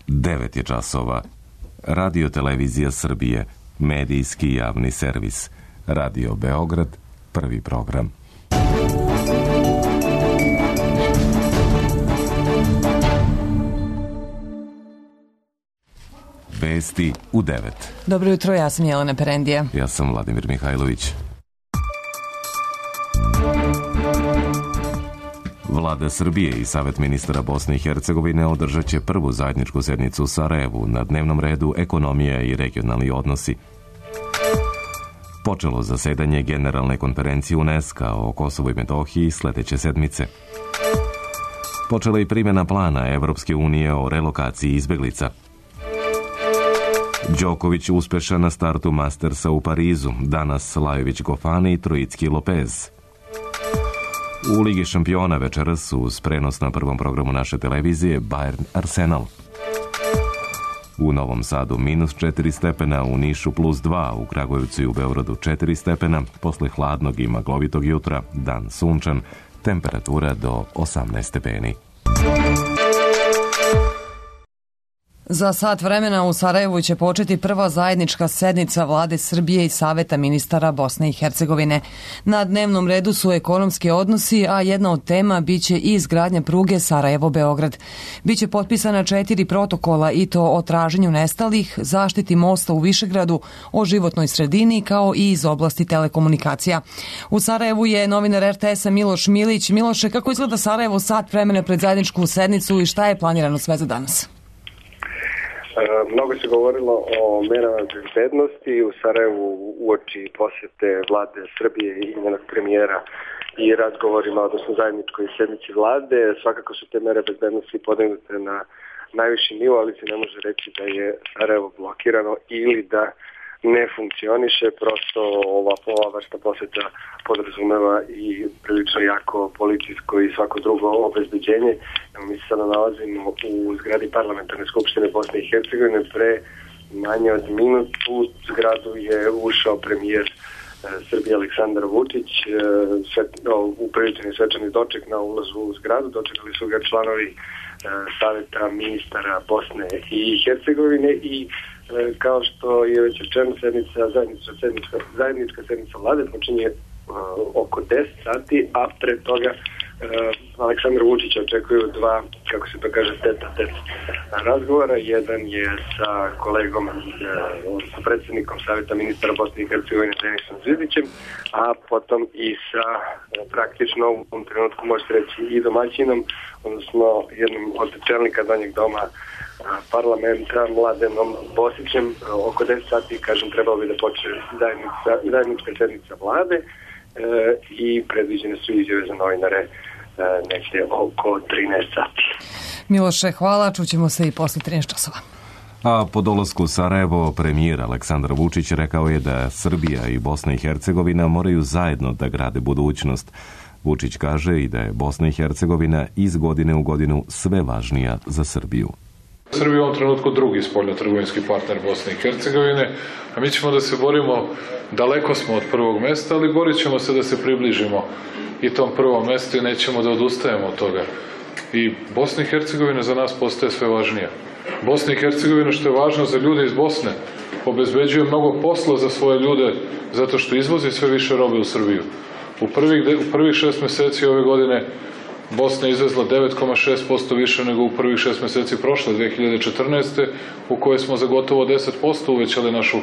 9 je časova. Radio Televizija Srbije, medijski javni servis. Radio Beograd, prvi program. Vesti u 9. Dobro jutro, ja sam Jelena Perendija. Ja sam Vladimir Mihajlović. Vlada Srbije i Savet ministara Bosne i Hercegovine održat će prvu zajedničku sednicu u Sarajevu, na dnevnom redu ekonomija i regionalni odnosi. Počelo zasedanje Generalne konferencije UNESCO o Kosovu i Metohiji sledeće sedmice. Počela i primjena plana Evropske unije o relokaciji izbeglica. Đoković uspešan na startu Mastersa u Parizu, danas Lajović Gofani i Trojicki Lopez. U Ligi šampiona večeras uz prenos na prvom programu naše televizije Bayern Arsenal. U Novom Sadu -4 stepena, u Nišu +2, u Kragujevcu i u Beogradu 4 stepena, posle hladnog i maglovitog jutra, dan sunčan, temperatura do 18 stepeni. Za sat vremena u Sarajevu će početi prva zajednička sednica Vlade Srbije i Saveta ministara Bosne i Hercegovine. Na dnevnom redu su ekonomski odnosi, a jedna od tema biće i izgradnja pruge Sarajevo-Beograd. Biće potpisana 4 protokola i to o traženju nestalih, zaštiti mosta u Višegradu, o životnoj sredini kao i iz oblasti telekomunikacija. U Sarajevu je novinar RTS-a Miloš Milić. Miloše, kako izgleda Sarajevo sat vremena pred zajedničku sednicu i šta je planirano sve za danas? Mnogo se govorilo o merama bezbednosti u Sarajevu uoči posjete Vlade Srbije i njenog premijera i razgovorima, odnosno zajedničkoj sednici Vlade. Svakako su te mere bezbednosti podignute na najviši nivo, ali se ne može reći da je Sarajevo blokirano ili da ne funkcioniše. Prosto ova vrsta posjeta podrazumeva i prilično jako policijsko i svako drugo obezbeđenje. Mi se sada nalazimo u zgradi Parlamentarne skupštine Bosne i Hercegovine. Pre manje od minutu u zgradu je ušao premijer Srbije Aleksandar Vučić, upriličeni svečani doček na ulazu u zgradu. Dočekali su ga članovi Saveta ministara Bosne i Hercegovine i kao što je već rečeno, zajednička sednica Vlade počinje oko 10 sati, a pre toga Aleksandar Vučić očekuju dva, kako se to kaže, tete razgovora. Jedan je sa kolegom, sa predsjednikom Saveta ministara Bosne i Hercegovine Denisom Zvizdićem, a potom i sa praktično u ovom trenutku možete reći i domaćinom, odnosno jednom od čelnika Donjeg doma parlamenta Mladenom Bosićem. Oko 10 sati, kažem, trebalo bi da počne zajednička sednica Vlade i predviđene su izjave za novinare negdje oko 13 sati. Miloše, hvala, čućemo se i posle 13 časova. A po dolasku u Sarajevo, premijer Aleksandar Vučić rekao je da Srbija i Bosna i Hercegovina moraju zajedno da grade budućnost. Vučić kaže i da je Bosna i Hercegovina iz godine u godinu sve važnija za Srbiju. Srbija je u ovom trenutku drugi spoljnotrgovinski partner Bosne i Hercegovine, a mi ćemo da se borimo, daleko smo od prvog mesta, ali borit ćemo se da se približimo i tom prvom mestu i nećemo da odustajemo od toga. I Bosna i Hercegovina za nas postaje sve važnija. Bosna i Hercegovina, što je važno za ljude iz Bosne, obezbeđuje mnogo posla za svoje ljude zato što izvozi sve više robe u Srbiju. U prvih 6 meseci ove godine Bosna je izvezla 9,6% više nego u prvih 6 meseci prošle 2014. u kojoj smo za gotovo 10% uvećali našu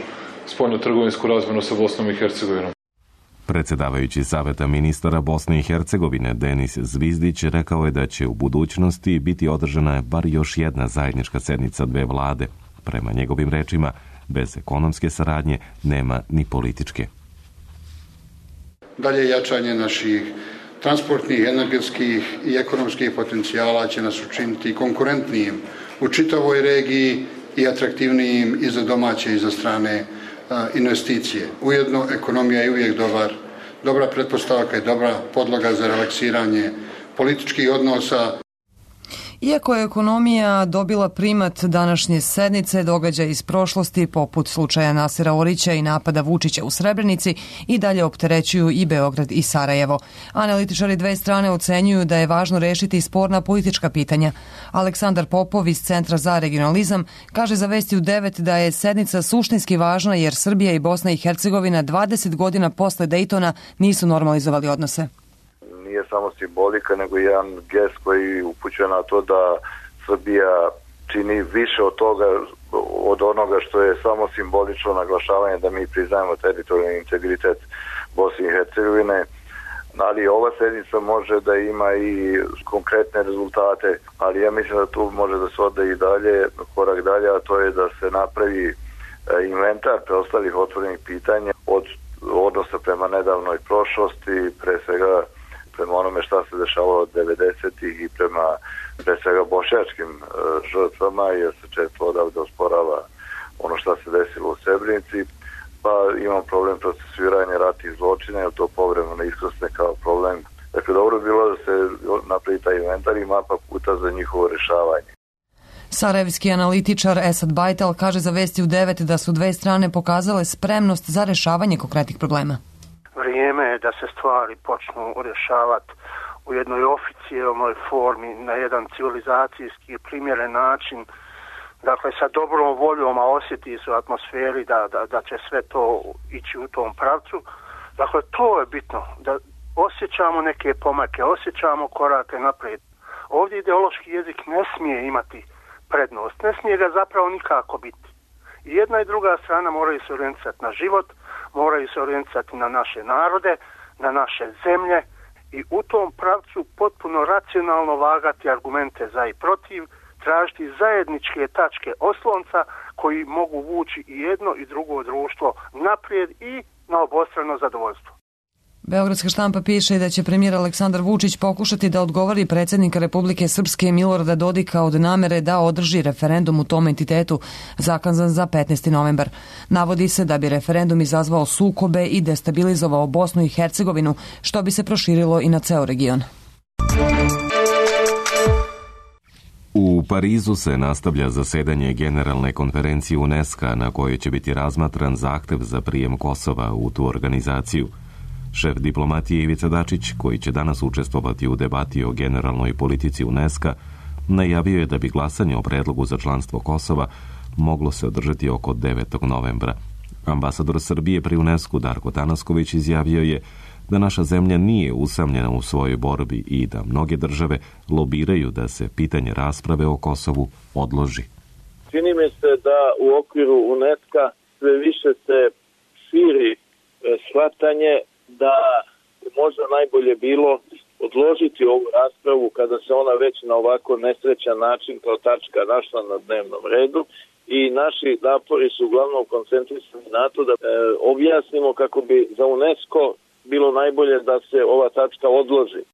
spoljnotrgovinsku razmenu sa Bosnom i Hercegovinom. Predsjedavajući Saveta ministara Bosne i Hercegovine Denis Zvizdić rekao je da će u budućnosti biti održana bar još jedna zajednička sednica dve vlade. Prema njegovim rečima, bez ekonomske saradnje nema ni političke. Dalje jačanje naših transportnih, energetskih i ekonomskih potencijala će nas učiniti konkurentnijim u čitavoj regiji i atraktivnijim i za domaće i za strane investicije. Ujedno, ekonomija je uvijek dobra pretpostavka i dobra podloga za relaksiranje političkih odnosa. Iako je ekonomija dobila primat današnje sednice, događaji iz prošlosti, poput slučaja Nasera Orića i napada Vučića u Srebrenici, i dalje opterećuju i Beograd i Sarajevo. Analitičari dve strane ocenjuju da je važno rešiti sporna politička pitanja. Aleksandar Popov iz Centra za regionalizam kaže za Vesti u 9 da je sednica suštinski važna jer Srbija i Bosna i Hercegovina 20 godina posle Dejtona nisu normalizovali odnose. Nije samo simbolika, nego jedan gest koji upućuje na to da Srbija čini više od toga, od onoga što je samo simbolično naglašavanje da mi priznajemo teritorijalni integritet Bosne i Hercegovine. Ali ova sednica može da ima i konkretne rezultate, ali ja mislim da tu može da se ode i dalje, korak dalje, a to je da se napravi inventar preostalih otvorenih pitanja od odnosa prema nedavnoj prošlosti, pre svega prema onome šta se dešavalo od 90-ih i prema pre svega bošnjačkim žrtvama, jer se često odavde osporava ono šta se desilo u Srebrenici, pa imamo problem procesuiranja ratnih zločina, jer to povremeno iskrsne kao problem. Dakle, dobro bi bilo da se napravi taj inventar i mapa puta za njihovo rešavanje. Sarajevski analitičar Esad Bajtal kaže za Vesti u 9 da su dve strane pokazale spremnost za rešavanje konkretnih problema. Vrijeme je da se stvari počnu rješavati u jednoj oficijelnoj formi, na jedan civilizacijski primjeren način, dakle sa dobrom voljom, a osjeti se u atmosferi da će sve to ići u tom pravcu. Dakle, to je bitno, da osjećamo neke pomake, osjećamo korake naprijed. Ovdje ideološki jezik ne smije imati prednost, ne smije ga zapravo nikako biti. I jedna i druga strana moraju se orijentisati na život, moraju se orijentisati na naše narode, na naše zemlje i u tom pravcu potpuno racionalno vagati argumente za i protiv, tražiti zajedničke tačke oslonca koji mogu vući i jedno i drugo društvo naprijed i na obostrano zadovoljstvo. Beogradska štampa piše da će premijer Aleksandar Vučić pokušati da odgovori predsjednika Republike Srpske Milorada Dodika od namere da održi referendum u tom entitetu zakazan za 15. novembar. Navodi se da bi referendum izazvao sukobe i destabilizovao Bosnu i Hercegovinu, što bi se proširilo i na ceo region. U Parizu se nastavlja zasedanje Generalne konferencije UNESCO na kojoj će biti razmatran zahtev za prijem Kosova u tu organizaciju. Šef diplomatije Ivica Dačić, koji će danas učestvovati u debati o generalnoj politici UNESCO, najavio je da bi glasanje o predlogu za članstvo Kosova moglo se održati oko 9. novembra. Ambasador Srbije pri UNESCO Darko Tanasković izjavio je da naša zemlja nije usamljena u svojoj borbi i da mnoge države lobiraju da se pitanje rasprave o Kosovu odloži. Čini mi se da u okviru UNESCO sve više se širi shvatanje da možda najbolje bilo odložiti ovu raspravu kada se ona već na ovako nesrećan način kao tačka našla na dnevnom redu i naši napori su uglavnom koncentrisani na to da objasnimo kako bi za UNESCO bilo najbolje da se ova tačka odloži.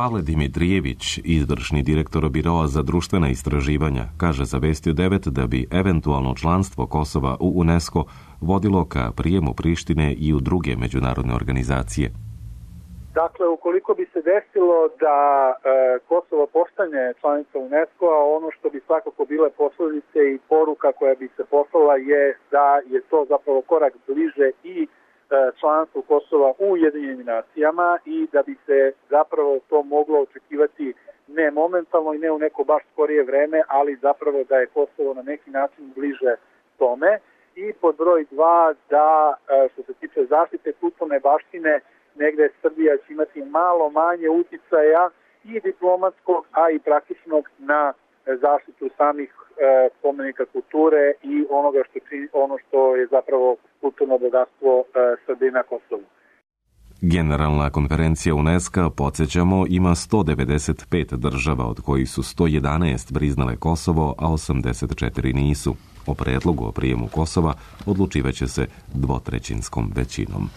Pavle Dimitrijević, izvršni direktor Biroa za društvena istraživanja, kaže za Vesti u 9 da bi eventualno članstvo Kosova u UNESCO vodilo ka prijemu Prištine i u druge međunarodne organizacije. Dakle, ukoliko bi se desilo da Kosovo postane članica UNESCO-a, ono što bi svakako bile posljedice i poruka koja bi se poslala je da je to zapravo korak bliže i članstvu Kosova u Ujedinjenim nacijama i da bi se zapravo to moglo očekivati ne momentalno i ne u neko baš skorije vreme, ali zapravo da je Kosovo na neki način bliže tome. I pod broj 2 da što se tiče zaštite kulturne baštine, negde Srbija će imati malo manje uticaja i diplomatskog, a i praktičnog na zaštitu samih spomenika kulture i ono što je zapravo kulturno bogatstvo Srbije na Kosovu. Generalna konferencija UNESCO, podsjećamo, ima 195 država, od kojih su 111 priznale Kosovo, a 84 nisu. O predlogu o prijemu Kosova odlučivaće se dvotrećinskom većinom.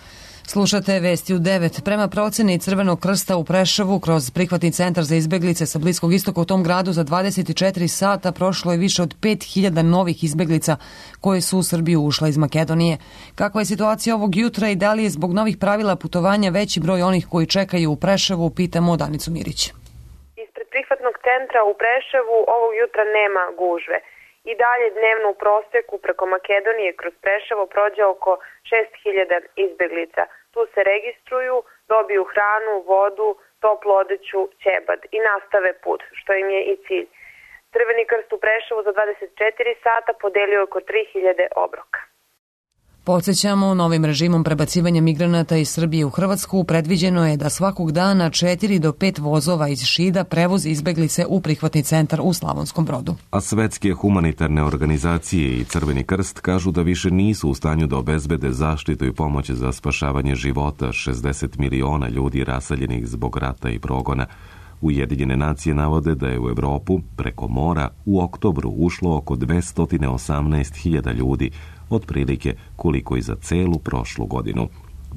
Slušate Vesti u 9. Prema proceni Crvenog krsta u Preševu, kroz prihvatni centar za izbeglice sa Bliskog istoka u tom gradu za 24 sata prošlo je više od 5000 novih izbeglica koje su u Srbiju ušla iz Makedonije. Kakva je situacija ovog jutra i da li je zbog novih pravila putovanja veći broj onih koji čekaju u Preševu, pitamo Danicu Mirić. Ispred prihvatnog centra u Preševu ovog jutra nema gužve. I dalje dnevno u proseku preko Makedonije kroz Preševo prođe oko 6.000 izbeglica. Tu se registruju, dobiju hranu, vodu, toplu odeću, ćebad i nastave put, što im je i cilj. Crveni krst u Preševu za 24 sata podelio oko 3.000 obroka. Podsjećamo, novim režimom prebacivanja migranata iz Srbije u Hrvatsku predviđeno je da svakog dana 4 do 5 vozova iz Šida prevozi izbeglice u prihvatni centar u Slavonskom Brodu. A svetske humanitarne organizacije i Crveni krst kažu da više nisu u stanju da obezbede zaštitu i pomoć za spašavanje života 60 miliona ljudi raseljenih zbog rata i progona. Ujedinjene nacije navode da je u Evropu preko mora u oktobru ušlo oko 218.000 ljudi, otprilike koliko i za celu prošlu godinu.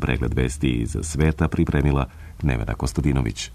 Pregled vesti iz sveta pripremila Nevena Kostadinović.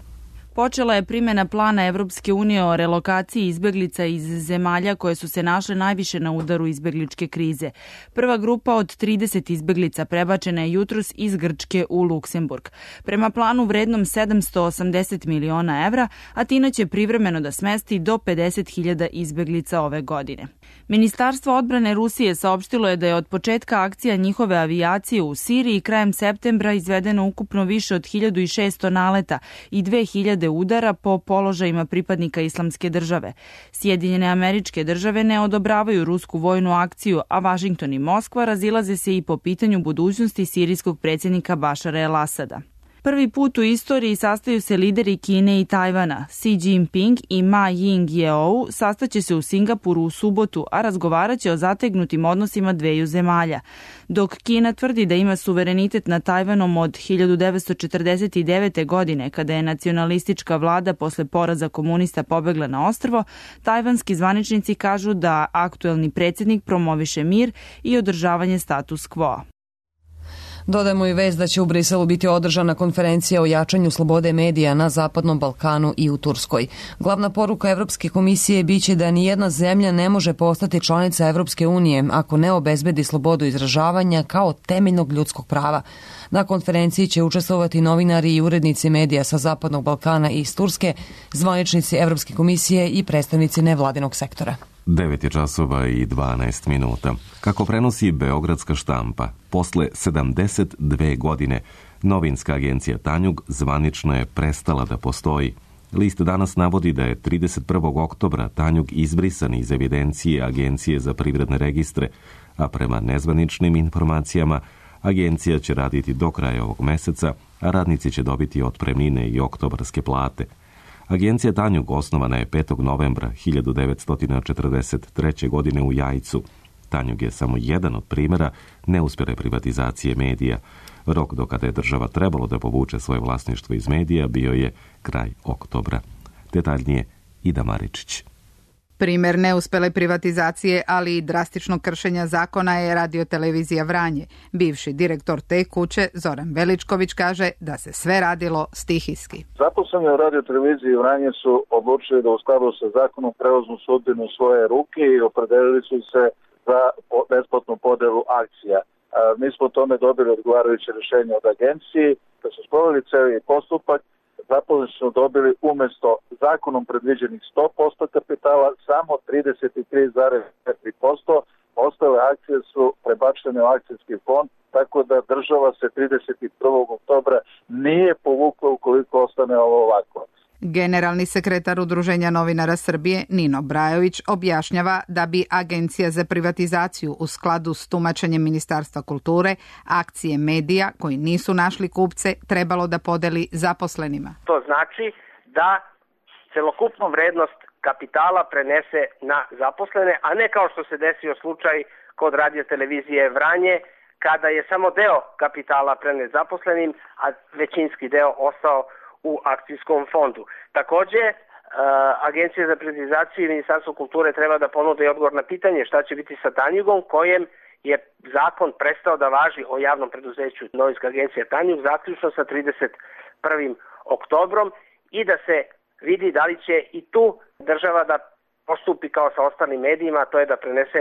Počela je primjena plana Evropske unije o relokaciji izbeglica iz zemalja koje su se našle najviše na udaru izbegličke krize. Prva grupa od 30 izbeglica prebačena je jutros iz Grčke u Luksemburg. Prema planu vrednom 780 miliona evra, Atina će privremeno da smesti do 50.000 izbeglica ove godine. Ministarstvo odbrane Rusije saopštilo je da je od početka akcija njihove avijacije u Siriji krajem septembra izvedeno ukupno više od 1.600 naleta i 2.000 udara po položajima pripadnika Islamske države. Sjedinjene Američke Države ne odobravaju rusku vojnu akciju, a Vašington i Moskva razilaze se i po pitanju budućnosti sirijskog predsjednika Bašara el-Asada. Prvi put u istoriji sastaju se lideri Kine i Tajvana. Xi Jinping i Ma Ying-jeou sastaće se u Singapuru u subotu, a razgovarat će o zategnutim odnosima dveju zemalja. Dok Kina tvrdi da ima suverenitet nad Tajvanom od 1949. godine, kada je nacionalistička vlada posle poraza komunista pobegla na ostrvo, tajvanski zvaničnici kažu da aktuelni predsjednik promoviše mir i održavanje status quo. Dodajemo i vest da će u Briselu biti održana konferencija o jačanju slobode medija na Zapadnom Balkanu i u Turskoj. Glavna poruka Evropske komisije biće da nijedna zemlja ne može postati članica Evropske unije ako ne obezbedi slobodu izražavanja kao temeljnog ljudskog prava. Na konferenciji će učestvovati novinari i urednici medija sa Zapadnog Balkana i iz Turske, zvaničnici Evropske komisije i predstavnici nevladinog sektora. 9 časova i 12 minuta. Kako prenosi Beogradska štampa, posle 72 godine novinska agencija Tanjug zvanično je prestala da postoji. List danas navodi da je 31. oktobra Tanjug izbrisan iz evidencije Agencije za privredne registre, a prema nezvaničnim informacijama agencija će raditi do kraja ovog meseca, a radnici će dobiti otpremnine i oktobarske plate. Agencija Tanjug osnovana je 5. novembra 1943. godine u Jajcu. Tanjug je samo jedan od primjera neuspjele privatizacije medija. Rok do kada je država trebalo da povuče svoje vlasništvo iz medija bio je kraj oktobra. Detaljnije Ida Maričić. Primer neuspele privatizacije, ali i drastičnog kršenja zakona je radiotelevizija Vranje. Bivši direktor te kuće, Zoran Veličković, kaže da se sve radilo stihijski. Zaposleni u radioteleviziji Vranje su odlučili da u skladu sa zakonom preuzmu sudbinu u svoje ruke i opredelili su se za besplatnu podelu akcija. Mi smo o tome dobili odgovarajuće rješenje od agencije. Kad su sproveli cijeli postupak, zaposleni su dobili umjesto zakonom predviđenih 100% kapitala samo 33,4%. Ostale akcije su prebačene u akcijski fond, tako da država se 31. oktobra nije povukla ukoliko ostane ovo ovako. Generalni sekretar Udruženja novinara Srbije Nino Brajović objašnjava da bi Agencija za privatizaciju u skladu s tumačenjem Ministarstva kulture akcije medija koji nisu našli kupce trebalo da podeli zaposlenima. To znači da celokupnu vrednost kapitala prenese na zaposlene, a ne kao što se desio slučaj kod radiotelevizije Vranje, kada je samo deo kapitala prenet zaposlenim, a većinski deo ostao u akcijskom fondu. Također, Agencija za privatizaciju i Ministarstvo kulture treba da ponude odgovor na pitanje šta će biti sa Tanjugom, kojem je zakon prestao da važi o javnom preduzeću novinska agencija Tanjug, zaključno sa 31. oktobrom i da se vidi da li će i tu država da postupi kao sa ostalim medijima, to je da prenese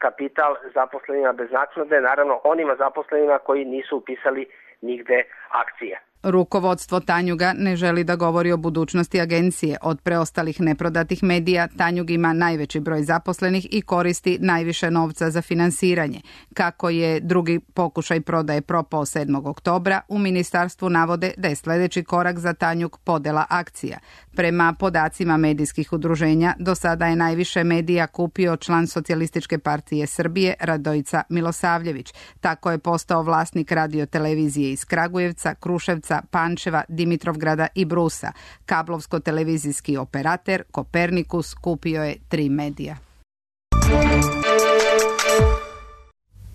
kapital zaposlenima bez naknade, naravno onima zaposlenima koji nisu upisali nigde akcije. Rukovodstvo Tanjuga ne želi da govori o budućnosti agencije. Od preostalih neprodatih medija Tanjug ima najveći broj zaposlenih i koristi najviše novca za finansiranje. Kako je drugi pokušaj prodaje propao 7. oktobra, u ministarstvu navode da je sljedeći korak za Tanjug podela akcija. Prema podacima medijskih udruženja, do sada je najviše medija kupio član Socijalističke partije Srbije Radojica Milosavljević. Tako je postao vlasnik radiotelevizije iz Kragujevca, Kruševca, Pančeva, Dimitrovgrada i Brusa. Kablovsko-televizijski operater Kopernikus kupio je 3 medija.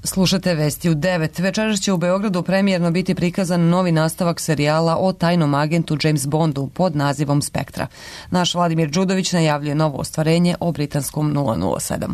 Slušate vesti u 9. Večeras će u Beogradu premijerno biti prikazan novi nastavak serijala o tajnom agentu James Bondu pod nazivom Spektra. Naš Vladimir Đudović najavljuje novo ostvarenje o britanskom 007.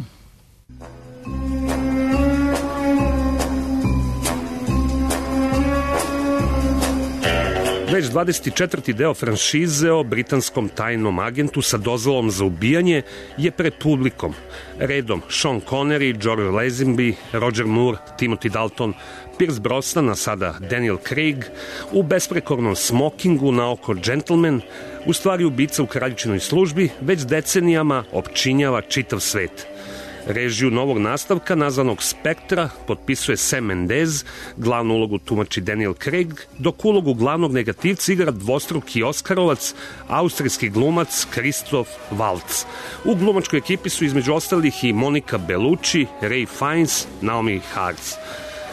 Već 24. deo franšize o britanskom tajnom agentu sa dozvolom za ubijanje je pred publikom. Redom Sean Connery, George Lazenby, Roger Moore, Timothy Dalton, Pierce Brosnan, a sada Daniel Craig, u besprekornom smokingu na oko gentleman, u stvari ubica u kraljičinoj službi, već decenijama opčinjava čitav svet. Režiju novog nastavka, nazvanog Spektra, potpisuje Sam Mendes, glavnu ulogu tumači Daniel Craig, dok ulogu glavnog negativca igra dvostruki Oskarovac, austrijski glumac Christoph Waltz. U glumačkoj ekipi su između ostalih i Monica Bellucci, Ray Fiennes, Naomi Hartz.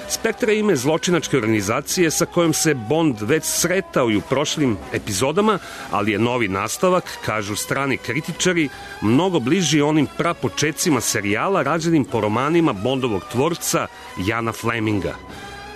Spektra je ime zločinačke organizacije sa kojom se Bond već sretao i u prošlim epizodama, ali je novi nastavak, kažu strani kritičari, mnogo bliži onim prapočecima serijala rađenim po romanima Bondovog tvorca Jana Fleminga.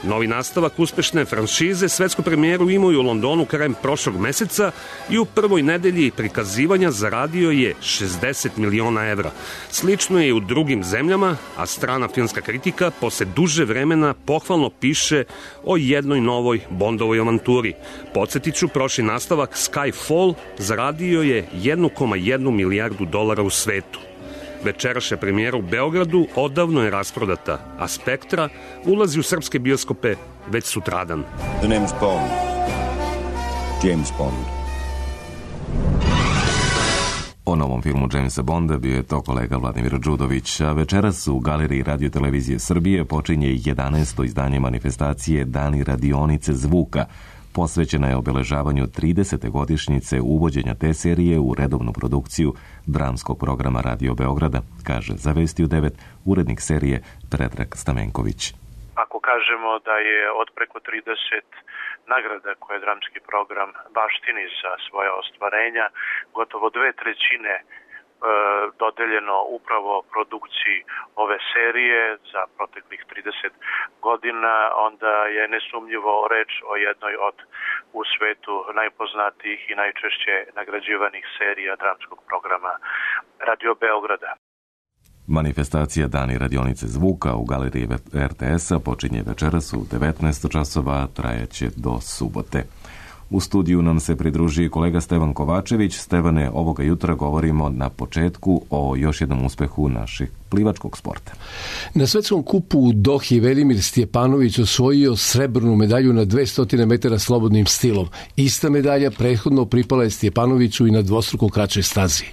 Novi nastavak uspešne franšize svetsku premijeru imaju u Londonu krajem prošlog meseca i u prvoj nedelji prikazivanja zaradio je 60 miliona evra. Slično je i u drugim zemljama, a strana filmska kritika posle duže vremena pohvalno piše o jednoj novoj Bondovoj avanturi. Podsjetiću, prošli nastavak Skyfall zaradio je 1,1 milijardu dolara u svetu. Večerašnja premijera u Beogradu odavno je rasprodata, a Spektra ulazi u srpske bioskope već sutradan. The name's Bond. James Bond. O novom filmu Jamesa Bonda bio je to kolega Vladimir Đudović, a večeras u Galeriji radiotelevizije Srbije počinje 11. izdanje manifestacije Dani radionice zvuka. Posvećena je obeležavanju 30. godišnjice uvođenja te serije u redovnu produkciju dramskog programa Radio Beograda, kaže za Vesti u 9 urednik serije Predrag Stamenković. Ako kažemo da je od preko 30 nagrada koje dramski program baštini za svoja ostvarenja, gotovo 2/3 dodeljeno upravo produkciji ove serije za proteklih 30 godina, onda je nesumnjivo reč o jednoj od u svetu najpoznatijih i najčešće nagrađivanih serija dramskog programa Radio Beograda. Manifestacija Dani radionice zvuka u Galeriji RTS-a počinje večeras u 19 časova, trajaće do subote. U studiju nam se pridruži kolega Stevan Kovačević. Stevane, ovoga jutra govorimo na početku o još jednom uspehu naših plivačkog sporta. Na svetskom kupu u Dohi Velimir Stjepanović osvojio srebrnu medalju na 200 metara slobodnim stilom. Ista medalja prethodno pripala je Stjepanoviću i na dvostruko kraćoj stazi.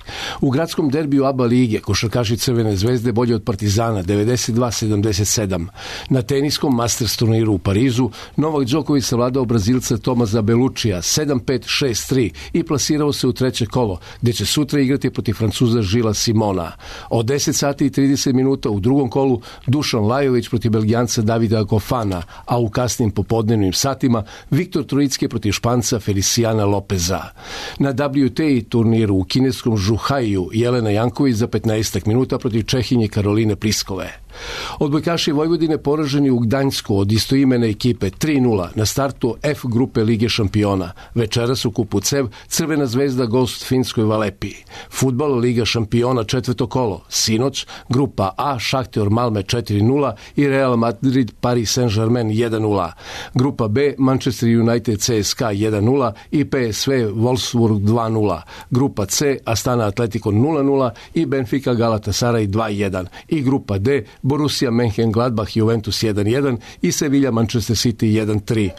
U gradskom derbiju ABA lige košarkaši Crvene zvezde bolje od Partizana 92-77. Na teniskom Masters turniru u Parizu Novak Đoković savladao Brazilca Tomaza Belluccija 7-5-6-3 i plasirao se u treće kolo, gde će sutra igrati protiv Francuza Žila Simona. Od 10 sati i 30 minuta u drugom kolu Dušan Lajović protiv Belgijanca Davida Gofana, a u kasnim popodnevnim satima Viktor Trojicki protiv Španca Feliciana Lopeza. Na WTA turniru u kineskom Žuhaiju Jelena Janković za 15 minuta protiv Čehinje Karoline Pliskove. Odbojkaši Vojvodine poraženi u Gdańsku od istoimene ekipe 3-0 na startu F grupe Lige šampiona. Večeras u kupu CEV Crvena zvezda gost Finskoj Valepi. Fudbal Liga šampiona četvrto kolo. Sinoć grupa A Šahter Malme 4-0 i Real Madrid Paris Saint-Germain 1-0. Grupa B Manchester United CSKA 1-0 i PSV Wolfsburg 2-0. Grupa C Astana Atletico 0-0 i Benfica Galatasaray 2-1. I grupa D Borussia Mönchengladbach Juventus 1-1 i Sevilla Manchester City 1-3.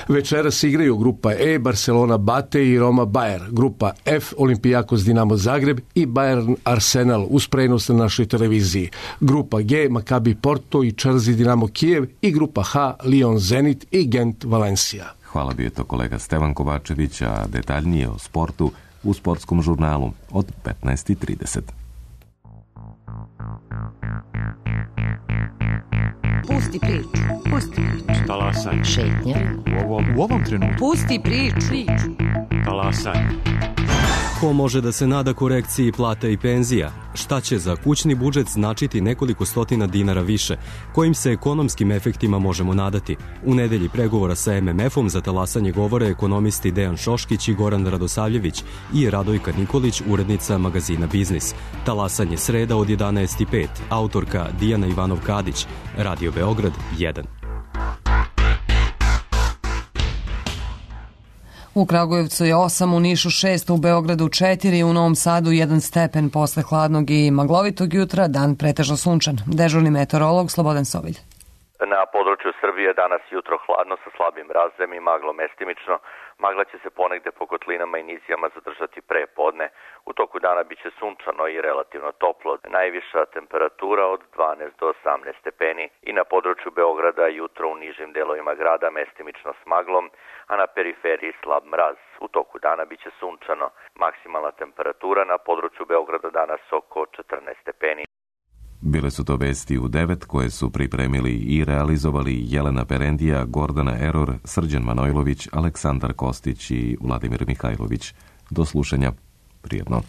Večeras igraju grupa E Barcelona Bate i Roma Bayer, grupa F Olympiakos Dinamo Zagreb i Bayern Arsenal uz prenos na našoj televiziji, grupa G Maccabi Porto i Chelsea Dinamo Kijev i grupa H Lyon Zenit i Gent Valencia. Hvala, bio je to kolega Stevan Kovačević, a detaljnije o sportu u sportskom žurnalu od 15:30. Pusti priču. Pusti priču. Talasaj. Šetnja. U ovom trenutku. Pusti priču. Talasaj. Ko može da se nada korekciji plata i penzija? Šta će za kućni budžet značiti nekoliko stotina dinara više? Kojim se ekonomskim efektima možemo nadati? U nedelji pregovora sa MMF-om za talasanje govore ekonomisti Dejan Šoškić i Goran Radosavljević i Radojka Nikolić, urednica magazina Biznis. Talasanje sreda od 11:05. Autorka Dijana Ivanov-Kadić. Radio Beograd 1. U Kragujevcu je 8, u Nišu 6, u Beogradu 4, u Novom Sadu 1 stepen posle hladnog i maglovitog jutra, dan pretežno sunčan. Dežurni meteorolog Slobodan Sovilj. Na području Srbije danas jutro hladno sa slabim razem i maglo mestimično. Magla će se ponegde po kotlinama i nizijama zadržati pre podne. U toku dana biće sunčano i relativno toplo. Najviša temperatura od 12 do 18 stepeni i na području Beograda jutro u nižim delovima grada mestimično s maglom, a na periferiji slab mraz. U toku dana biće sunčano. Maksimalna temperatura na području Beograda danas oko 14 stepeni. Bile su to vesti u 9 koje su pripremili i realizovali Jelena Perendija, Gordana Eror, Srđan Manojlović, Aleksandar Kostić i Vladimir Mihajlović. Do slušanja. Prijetno.